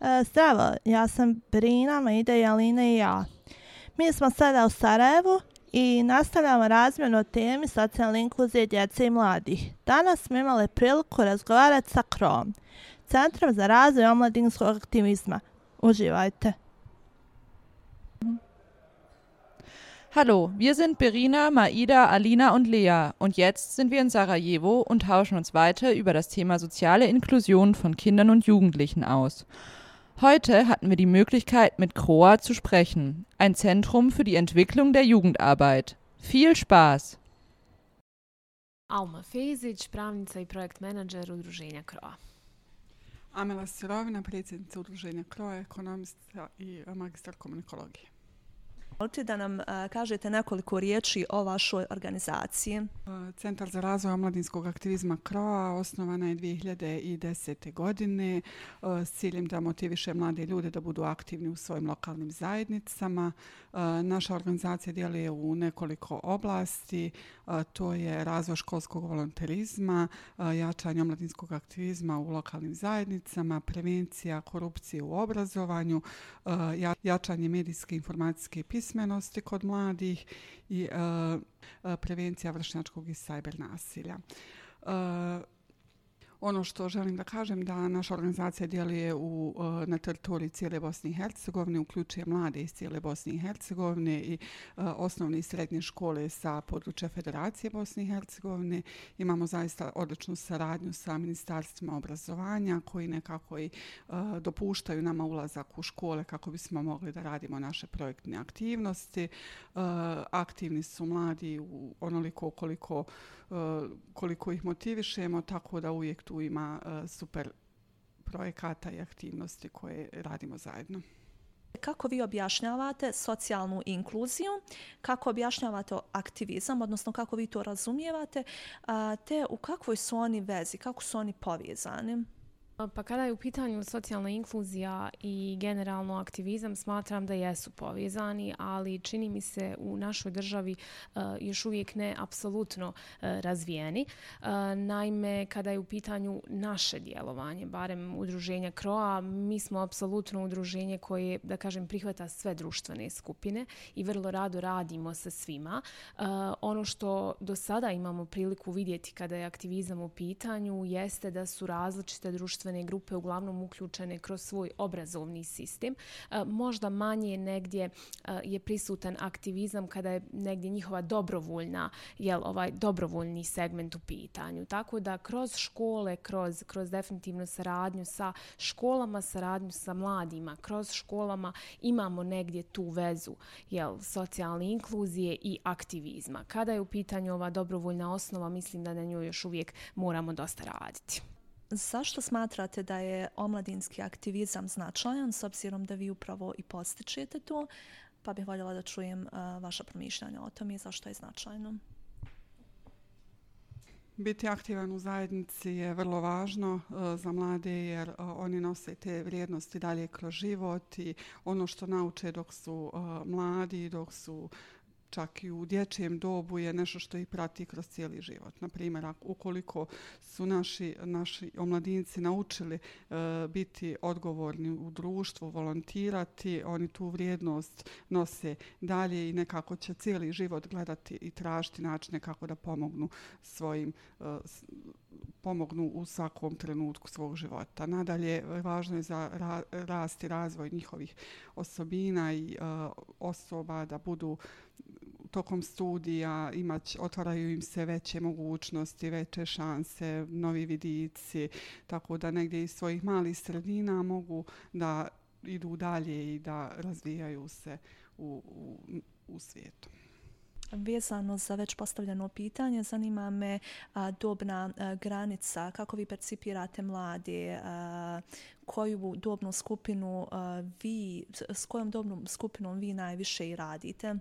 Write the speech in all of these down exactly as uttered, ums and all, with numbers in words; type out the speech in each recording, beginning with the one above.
E, Zdravo, ja sam Brina, Maida, Alina i ja. Mi smo sada u Sarajevu i nastavljamo razmjenu o temi socijalne inkluzije djece i mladih. Danas smo imali priliku razgovarati sa C R O-om, Centrom za razvoj omladinskog aktivizma. Uživajte. Hallo, wir sind Berina, Maida, Alina und Lea und jetzt sind wir in Sarajevo und tauschen uns weiter über das Thema soziale Inklusion von Kindern und Jugendlichen aus. Heute hatten wir die Möglichkeit, mit C R O A zu sprechen, ein Zentrum für die Entwicklung der Jugendarbeit. Viel Spaß! Alma Fezić, pravnica i projekt menadžer udruženja C R O A. Amela Sirovina, predsjednica udruženja C R O A, ekonomista i magistar komunikologije. Možete da nam uh, kažete nekoliko riječi o vašoj organizaciji? Centar za razvoj omladinskog aktivizma C R O A osnovana je dvije hiljade desete. godine uh, s ciljem da motiviše mlade ljude da budu aktivni u svojim lokalnim zajednicama. Uh, naša organizacija djeluje u nekoliko oblasti. Uh, to je razvoj školskog volonterizma, uh, jačanje omladinskog aktivizma u lokalnim zajednicama, prevencija korupcije u obrazovanju, uh, jačanje medijske informacijske pismenosti kod mladih i uh, prevencija vršnjačkog i sajber nasilja. Uh, Ono što želim da kažem da naša organizacija djeluje u, na teritoriji cijele Bosne i Hercegovine, uključuje mlade iz cijele Bosne i Hercegovine i uh, osnovne i srednje škole sa područja Federacije Bosne i Hercegovine. Imamo zaista odličnu saradnju sa ministarstvima obrazovanja koji nekako i uh, dopuštaju nama ulazak u škole kako bismo mogli da radimo naše projektne aktivnosti. Uh, aktivni su mladi u onoliko koliko, uh, koliko ih motivišemo, tako da uvijek tu ima uh, super projekata i aktivnosti koje radimo zajedno. Kako vi objašnjavate socijalnu inkluziju, kako objašnjavate aktivizam, odnosno kako vi to razumijevate, te u kakvoj su oni vezi, kako su oni povezani? Pa kada je u pitanju socijalna inkluzija i generalno aktivizam, smatram da jesu povezani, ali čini mi se u našoj državi uh, još uvijek ne apsolutno uh, razvijeni. Uh, naime, kada je u pitanju naše djelovanje, barem udruženja C R O A, mi smo apsolutno udruženje koje, da kažem, prihvata sve društvene skupine i vrlo rado radimo sa svima. Uh, ono što do sada imamo priliku vidjeti kada je aktivizam u pitanju jeste da su različite društvene grupe uglavnom uključene kroz svoj obrazovni sistem. E, možda manje negdje e, je prisutan aktivizam kada je negdje njihova dobrovoljna, jel, ovaj dobrovoljni segment u pitanju. Tako da kroz škole, kroz, kroz definitivno saradnju sa školama, saradnju sa mladima, kroz školama imamo negdje tu vezu, jel, socijalne inkluzije i aktivizma. Kada je u pitanju ova dobrovoljna osnova, mislim da na njoj još uvijek moramo dosta raditi. Zašto smatrate da je omladinski aktivizam značajan, s obzirom da vi upravo i postičete to? Pa bih voljela da čujem uh, vaša promišljanja o tom i zašto je značajno. Biti aktivan u zajednici je vrlo važno uh, za mlade jer uh, oni nose te vrijednosti dalje kroz život i ono što nauče dok su uh, mladi, dok su čak i u dječjem dobu je nešto što ih prati kroz cijeli život. Na primjer, ukoliko su naši, naši omladinci naučili uh, biti odgovorni u društvu, volontirati, oni tu vrijednost nose dalje i nekako će cijeli život gledati i tražiti načine kako da pomognu svojim uh, pomognu u svakom trenutku svog života. Nadalje, važno je za ra, rast i razvoj njihovih osobina i uh, osoba da budu tokom studija, imać, otvaraju im se veće mogućnosti, veće šanse, novi vidici, tako da negdje iz svojih malih sredina mogu da idu dalje i da razvijaju se u, u, u svijetu. Vezano za već postavljeno pitanje, zanima me a, dobna a, granica, kako vi percipirate mlade, a, koju dobnu skupinu a, vi, s kojom dobnom skupinom vi najviše i radite?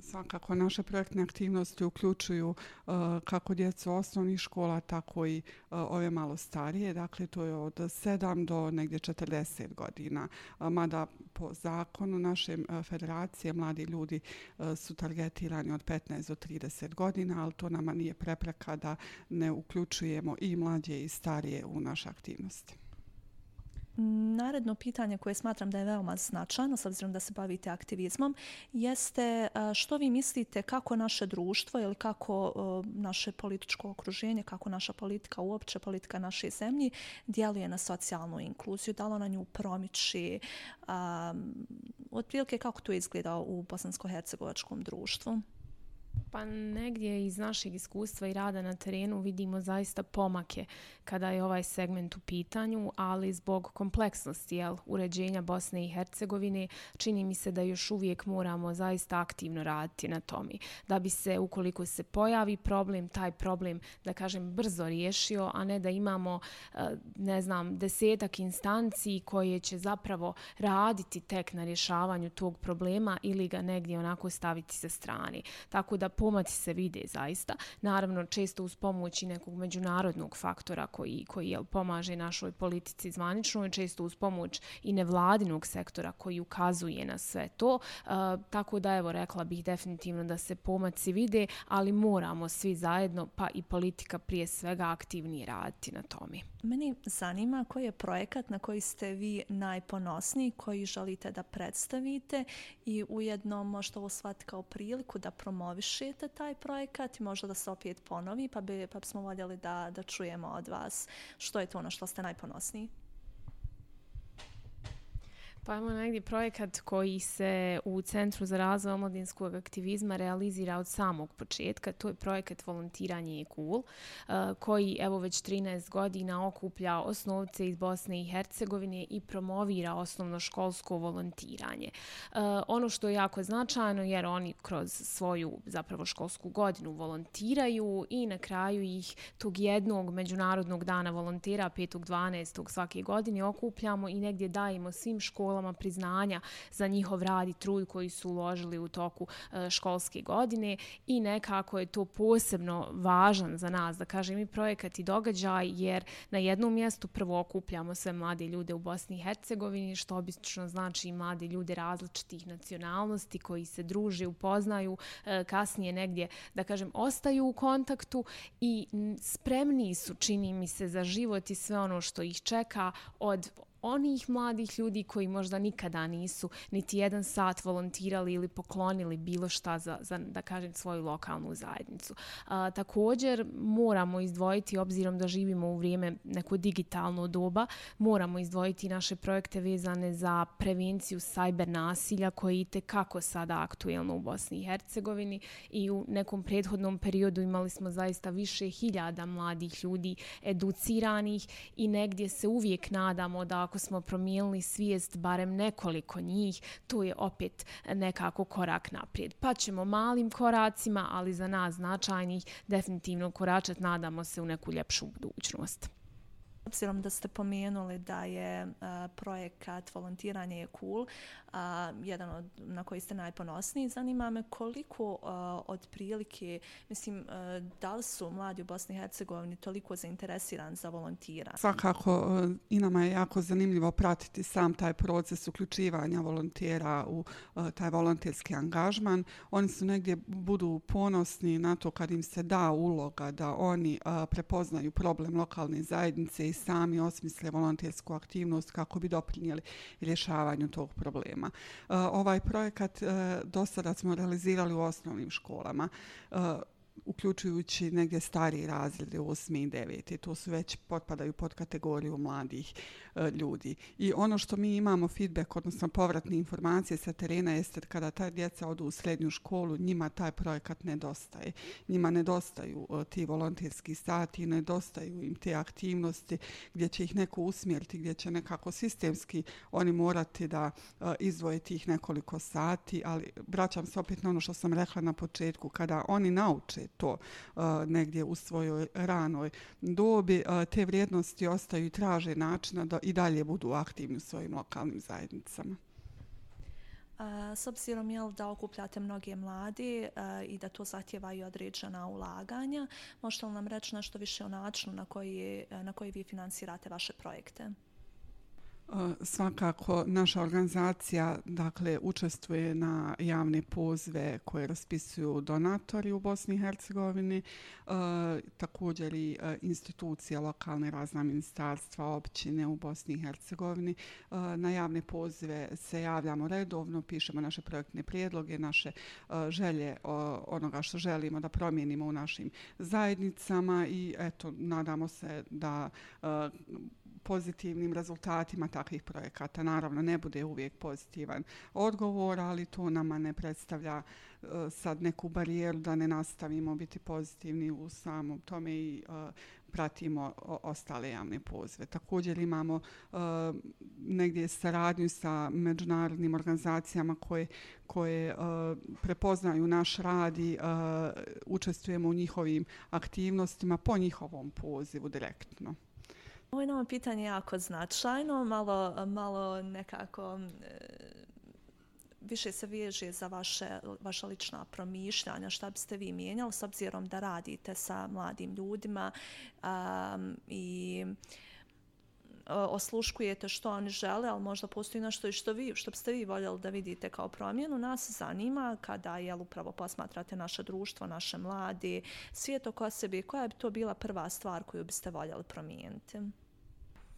Svakako naše projektne aktivnosti uključuju uh, kako djecu osnovnih škola, tako i uh, ove malo starije. Dakle, to je od sedam do negdje četrdeset godina. Uh, mada po zakonu naše uh, federacije mladi ljudi uh, su targetirani od petnaest do trideset godina, ali to nama nije prepreka da ne uključujemo i mlađe i starije u naše aktivnosti. Naredno pitanje koje smatram da je veoma značajno, s obzirom da se bavite aktivizmom, jeste što vi mislite kako naše društvo ili kako naše političko okruženje, kako naša politika, uopće politika naše zemlje, djeluje na socijalnu inkluziju, da li ona nju promiči, um, otprilike kako to izgleda u bosansko-hercegovačkom društvu? Pa negdje iz našeg iskustva i rada na terenu vidimo zaista pomake kada je ovaj segment u pitanju, ali zbog kompleksnosti jel, uređenja Bosne i Hercegovine čini mi se da još uvijek moramo zaista aktivno raditi na tome. Da bi se, ukoliko se pojavi problem, taj problem, da kažem, brzo riješio, a ne da imamo, ne znam, desetak instanci koje će zapravo raditi tek na rješavanju tog problema ili ga negdje onako staviti sa strane. Tako da pomaci se vide zaista. Naravno, često uz pomoć i nekog međunarodnog faktora koji, koji jel, pomaže našoj politici zvaničnoj, često uz pomoć i nevladinog sektora koji ukazuje na sve to. E, tako da, evo, rekla bih definitivno da se pomaci vide, ali moramo svi zajedno, pa i politika prije svega, aktivnije raditi na tome. Meni zanima koji je projekat na koji ste vi najponosniji, koji želite da predstavite i ujedno možda ovo shvatiti kao priliku da promovišete taj projekat i možda da se opet ponovi, pa, bi, pa bismo voljeli da, da čujemo od vas što je to ono što ste najponosniji. Pa imamo negdje projekat koji se u Centru za razvoj omladinskog aktivizma realizira od samog početka. To je projekat Volontiranje je cool, koji evo već trinaest godina okuplja osnovce iz Bosne i Hercegovine i promovira osnovnoškolsko volontiranje. Ono što je jako značajno jer oni kroz svoju zapravo školsku godinu volontiraju i na kraju ih tog jednog međunarodnog dana volontera petog dvanaestog svake godine okupljamo i negdje dajemo svim školama priznanja za njihov rad i trud koji su uložili u toku školske godine i nekako je to posebno važan za nas, da kažem, i projekat i događaj, jer na jednom mjestu prvo okupljamo sve mlade ljude u Bosni i Hercegovini, što obično znači mlade ljude različitih nacionalnosti koji se druže, upoznaju, kasnije negdje, da kažem, ostaju u kontaktu i spremni su, čini mi se, za život i sve ono što ih čeka od onih mladih ljudi koji možda nikada nisu niti jedan sat volontirali ili poklonili bilo šta za, za da kažem, svoju lokalnu zajednicu. A, također moramo izdvojiti, obzirom da živimo u vrijeme neko digitalno doba, moramo izdvojiti naše projekte vezane za prevenciju cyber nasilja koji je itekako sada aktuelno u Bosni i Hercegovini i u nekom prethodnom periodu imali smo zaista više hiljada mladih ljudi educiranih i negdje se uvijek nadamo da ako smo promijenili svijest barem nekoliko njih, to je opet nekako korak naprijed. Pa ćemo malim koracima, ali za nas značajnih, definitivno koračat, nadamo se, u neku ljepšu budućnost. Obzirom da ste pomenuli da je uh, projekat Volontiranje je cool, uh, jedan od na koji ste najponosniji, zanima me koliko uh, otprilike, mislim, uh, da li su mladi u Bosni i Hercegovini toliko zainteresirani za volontiranje? Svakako uh, i nama je jako zanimljivo pratiti sam taj proces uključivanja volontera u uh, taj volonterski angažman. Oni su negdje budu ponosni na to kad im se da uloga da oni uh, prepoznaju problem lokalne zajednice i sami osmisle volontersku aktivnost kako bi doprinijeli rješavanju tog problema. Uh, ovaj projekat uh, do sada smo realizirali u osnovnim školama, uh, uključujući negdje stariji razrede, osmi i deveti. To su već potpadaju pod kategoriju mladih e, ljudi. I ono što mi imamo feedback, odnosno povratne informacije sa terena, jeste kada ta djeca odu u srednju školu, njima taj projekat nedostaje. Njima nedostaju e, ti volonterski sati, nedostaju im te aktivnosti gdje će ih neko usmjeriti, gdje će nekako sistemski oni morati da e, izdvoje tih nekoliko sati, ali vraćam se opet na ono što sam rekla na početku, kada oni nauče to uh, negdje u svojoj ranoj dobi, uh, te vrijednosti ostaju i traže načina da i dalje budu aktivni u svojim lokalnim zajednicama. Uh, s obzirom jel, da okupljate mnoge mladi uh, i da to zahtijevaju određena ulaganja, možete li nam reći nešto više o načinu na koji, na koji vi finansirate vaše projekte? Svakako naša organizacija dakle učestvuje na javne pozive koje raspisuju donatori u Bosni i Hercegovini, e, također i e, institucije lokalne, razna ministarstva, općine u Bosni i Hercegovini. E, na javne pozive se javljamo redovno, pišemo naše projektne prijedloge, naše e, želje o, onoga što želimo da promijenimo u našim zajednicama i eto, nadamo se da e, pozitivnim rezultatima takvih projekata. Naravno, ne bude uvijek pozitivan odgovor, ali to nama ne predstavlja uh, sad neku barijeru da ne nastavimo biti pozitivni u samom tome i uh, pratimo o, ostale javne pozive. Također imamo uh, negdje saradnju sa međunarodnim organizacijama koje, koje uh, prepoznaju naš rad i uh, učestvujemo u njihovim aktivnostima po njihovom pozivu direktno. Ovo je nam pitanje jako značajno, malo, malo nekako e, više se veže za vaše, vaša lična promišljanja, šta biste vi mijenjali s obzirom da radite sa mladim ljudima um, i osluškujete što oni žele, ali možda postoji nešto i što, vi, što biste vi voljeli da vidite kao promjenu. Nas zanima kada jel, upravo posmatrate naše društvo, naše mladi, svijet oko sebe, koja bi to bila prva stvar koju biste voljeli promijeniti?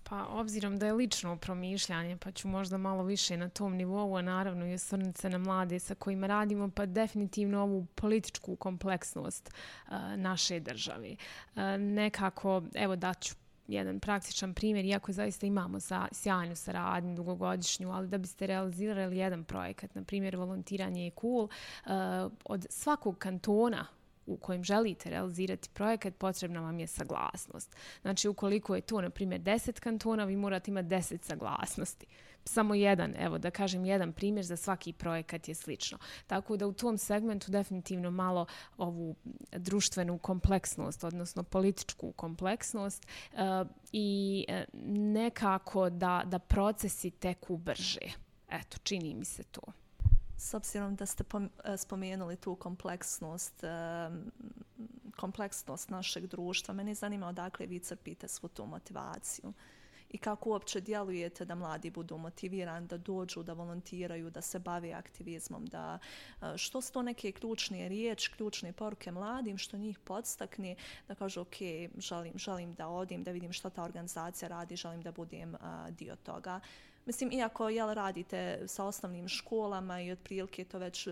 Pa obzirom da je lično promišljanje, pa ću možda malo više na tom nivou, a naravno i osvrnuti se na mlade sa kojima radimo, pa definitivno ovu političku kompleksnost uh, naše države. Uh, nekako, evo daću jedan praktičan primjer, iako zaista imamo sa, sjajnu saradnju, dugogodišnju, ali da biste realizirali jedan projekat, na primjer volontiranje je cool, uh, od svakog kantona u kojem želite realizirati projekat, potrebna vam je saglasnost. Znači, ukoliko je to, na primjer, deset kantona, vi morate imati deset saglasnosti. Samo jedan, evo da kažem, jedan primjer za svaki projekat je slično. Tako da u tom segmentu definitivno malo ovu društvenu kompleksnost, odnosno političku kompleksnost uh, i nekako da, da procesi teku brže. Eto, čini mi se to. S obzirom da ste spomenuli tu kompleksnost, kompleksnost našeg društva, mene zanima odakle vi crpite svu tu motivaciju i kako uopće djelujete da mladi budu motivirani, da dođu, da volontiraju, da se bave aktivizmom, da što su to neke ključne riječi, ključne poruke mladim, što njih podstakne, da kažu ok, želim, želim da odim, da vidim što ta organizacija radi, želim da budem dio toga. Mislim, iako jel, radite sa osnovnim školama i otprilike to već,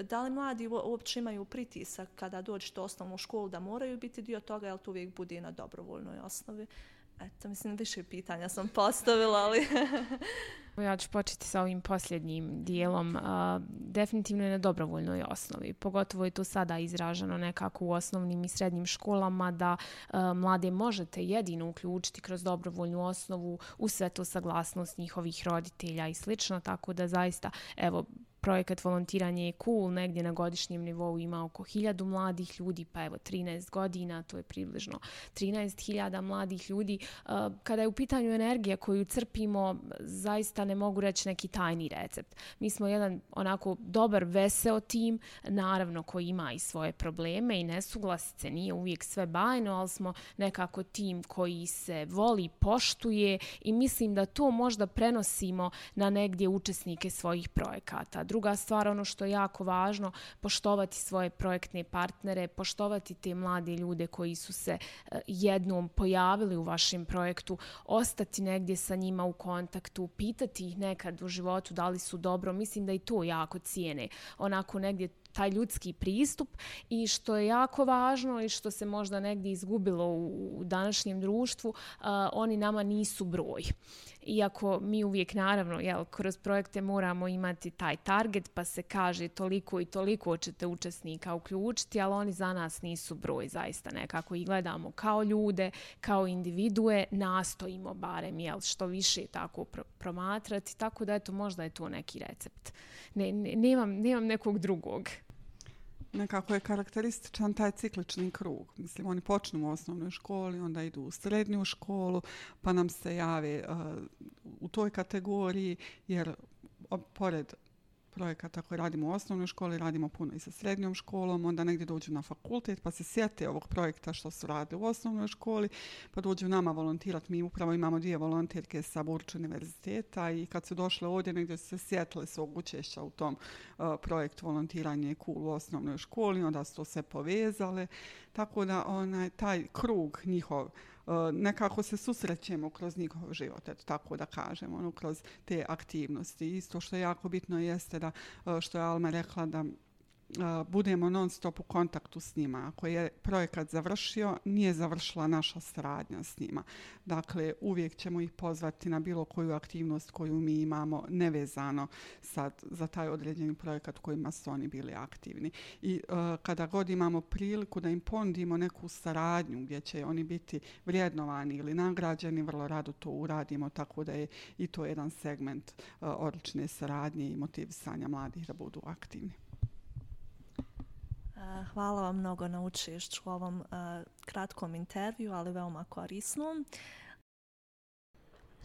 da li mladi uopće imaju pritisak kada dođete u osnovnu školu da moraju biti dio toga, jel to uvijek bude na dobrovoljnoj osnovi? Eto, mislim, više pitanja sam postavila, ali... Ja ću početi sa ovim posljednjim dijelom. Uh, definitivno je na dobrovoljnoj osnovi. Pogotovo je to sada izraženo nekako u osnovnim i srednjim školama da uh, mlade možete jedino uključiti kroz dobrovoljnu osnovu u sve to saglasnost njihovih roditelja i slično. Tako da zaista, evo, projekat volontiranje je cool, negdje na godišnjem nivou ima oko hiljadu mladih ljudi, pa evo trinaest godina, to je približno trinaest hiljada mladih ljudi. Kada je u pitanju energija koju crpimo, zaista ne mogu reći neki tajni recept. Mi smo jedan onako dobar, veseo tim, naravno koji ima i svoje probleme i nesuglasice, nije uvijek sve bajno, ali smo nekako tim koji se voli, poštuje i mislim da to možda prenosimo na negdje učesnike svojih projekata. Druga stvar, ono što je jako važno, poštovati svoje projektne partnere, poštovati te mlade ljude koji su se jednom pojavili u vašem projektu, ostati negdje sa njima u kontaktu, pitati ih nekad u životu da li su dobro. Mislim da i to jako cijene. Onako negdje taj ljudski pristup i što je jako važno i što se možda negdje izgubilo u današnjem društvu, uh, oni nama nisu broj. Iako mi uvijek naravno jel, kroz projekte moramo imati taj target pa se kaže toliko i toliko ćete učesnika uključiti, ali oni za nas nisu broj zaista nekako i gledamo kao ljude, kao individue, nastojimo barem jel, što više tako pro- promatrati, tako da eto možda je to neki recept. Ne, ne, nemam, nemam nekog drugog. Nekako je karakterističan taj ciklični krug. Mislim, oni počnu u osnovnoj školi, onda idu u srednju školu, pa nam se jave uh, u toj kategoriji, jer o, pored projekata koje radimo u osnovnoj školi, radimo puno i sa srednjom školom, onda negdje dođu na fakultet pa se sjete ovog projekta što su radili u osnovnoj školi, pa dođu nama volontirati. Mi upravo imamo dvije volonterke sa Burč univerziteta i kad su došle ovdje negdje su se sjetile svog učešća u tom uh, projektu volontiranje je cool u osnovnoj školi, onda su to sve povezale. Tako da onaj, taj krug njihov, uh, nekako se susrećemo kroz njihov život, eto, tako da kažemo, ono, kroz te aktivnosti. Isto što je jako bitno jeste da, uh, što je Alma rekla, da Uh, budemo non stop u kontaktu s njima. Ako je projekat završio, nije završila naša saradnja s njima. Dakle, uvijek ćemo ih pozvati na bilo koju aktivnost koju mi imamo nevezano sad za taj određeni projekat u kojima su oni bili aktivni. I uh, kada god imamo priliku da im ponudimo neku saradnju gdje će oni biti vrijednovani ili nagrađeni, vrlo rado to uradimo, tako da je i to jedan segment uh, odlične saradnje i motivisanja mladih da budu aktivni. Hvala vam mnogo na učešću u ovom uh, kratkom intervju, ali veoma korisnom.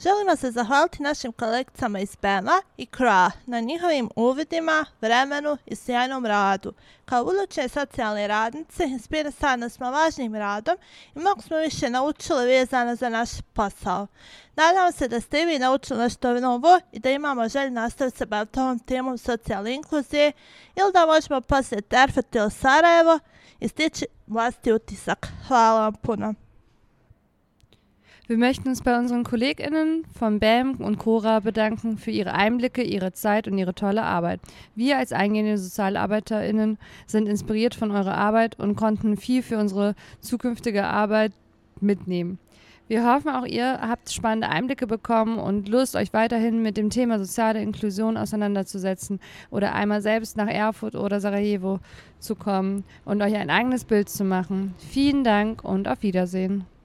Želimo se zahvaliti našim kolegicama iz B E M-a i K R O A na njihovim uvidima, vremenu i sjajnom radu. Kao buduće socijalne radnice inspirisane smo važnim radom i mnogo smo više naučili vezano za naš posao. Nadam se da ste i vi naučili nešto novo i da imamo želju nastaviti se baviti ovom temom socijalne inkluzije ili da možemo posjetiti Erfurtil Sarajevo i stići vlastiti utisak. Hvala vam puno. Wir möchten uns bei unseren KollegInnen von B E M und K O R A bedanken für ihre Einblicke, ihre Zeit und ihre tolle Arbeit. Wir als eingehende SozialarbeiterInnen sind inspiriert von eurer Arbeit und konnten viel für unsere zukünftige Arbeit mitnehmen. Wir hoffen, auch ihr habt spannende Einblicke bekommen und Lust, euch weiterhin mit dem Thema soziale Inklusion auseinanderzusetzen oder einmal selbst nach Erfurt oder Sarajevo zu kommen und euch ein eigenes Bild zu machen. Vielen Dank und auf Wiedersehen.